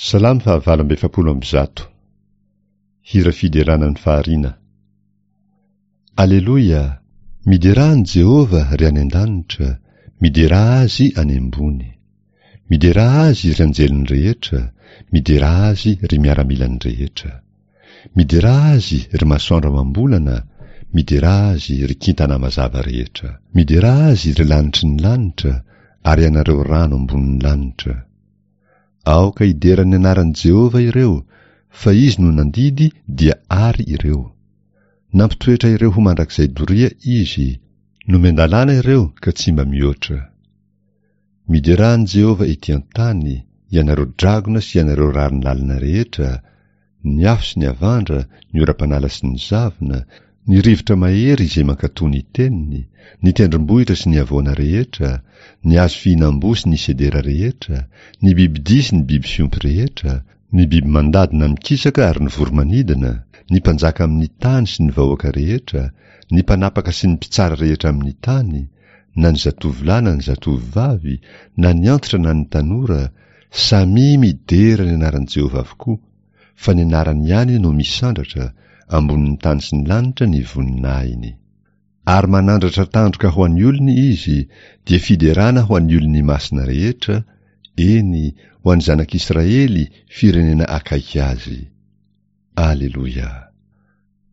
Salamo faha-148. Hira fiderana ny fahariana. Aleloia! Miderà an'i Jehovah, ry any an-danitra, miderà Azy any ambony. Miderà Azy, ry anjeliny rehetra, miderà Azy, ry miaramilany rehetra. Miderà Azy, ry masoandro amam-bolana, miderà Azy, ry kintana mazava rehetra. Miderà Azy, ry lanitry ny lanitra, ary ianareo rano ambonin'ny lanitra. Aoka hidera ny anaran'i Jehovah ireo, fa izy no nandidy dia àry ireo. Nampitoetra ireo ho mandrakizay doria izy, nomen-dalàna ireo ka tsy mba mihoatra. Miderà an'i Jehovah etỳ an-tany, ianareo dragona sy ianareo rariny lalina rehetra, ny afo sy ny avandra, ny oram-panala sy ny zavona, ny rivotra mahery izay mankatò ny teniny, ny tendrombohitra sy ny havoana rehetra, ny hazo fihinam-boa sy ny sedera rehetra, ny bibidia sy ny biby fiompy rehetra, ny biby mandady na mikisaka ary ny voro-manidina, ny mpanjaka amin'ny tany sy ny vahoaka rehetra, ny mpanapaka sy ny mpitsara rehetra amin'ny tany, na ny zatovolahy na ny zatovovavy, na ny antitra na ny tanora, Samia midera ny anaran'i Jehovah avokoa, fa ny anarany ihany no misandratra, ambonin'ny tany sy ny lanitra ny voninahiny. Ary manandratra tandroka ho an'ny olony izy, dia fiderana ho an'ny olony masina rehetra, eny, ho an'ny zanak'Israely, firenena akaiky azy. Aleloia.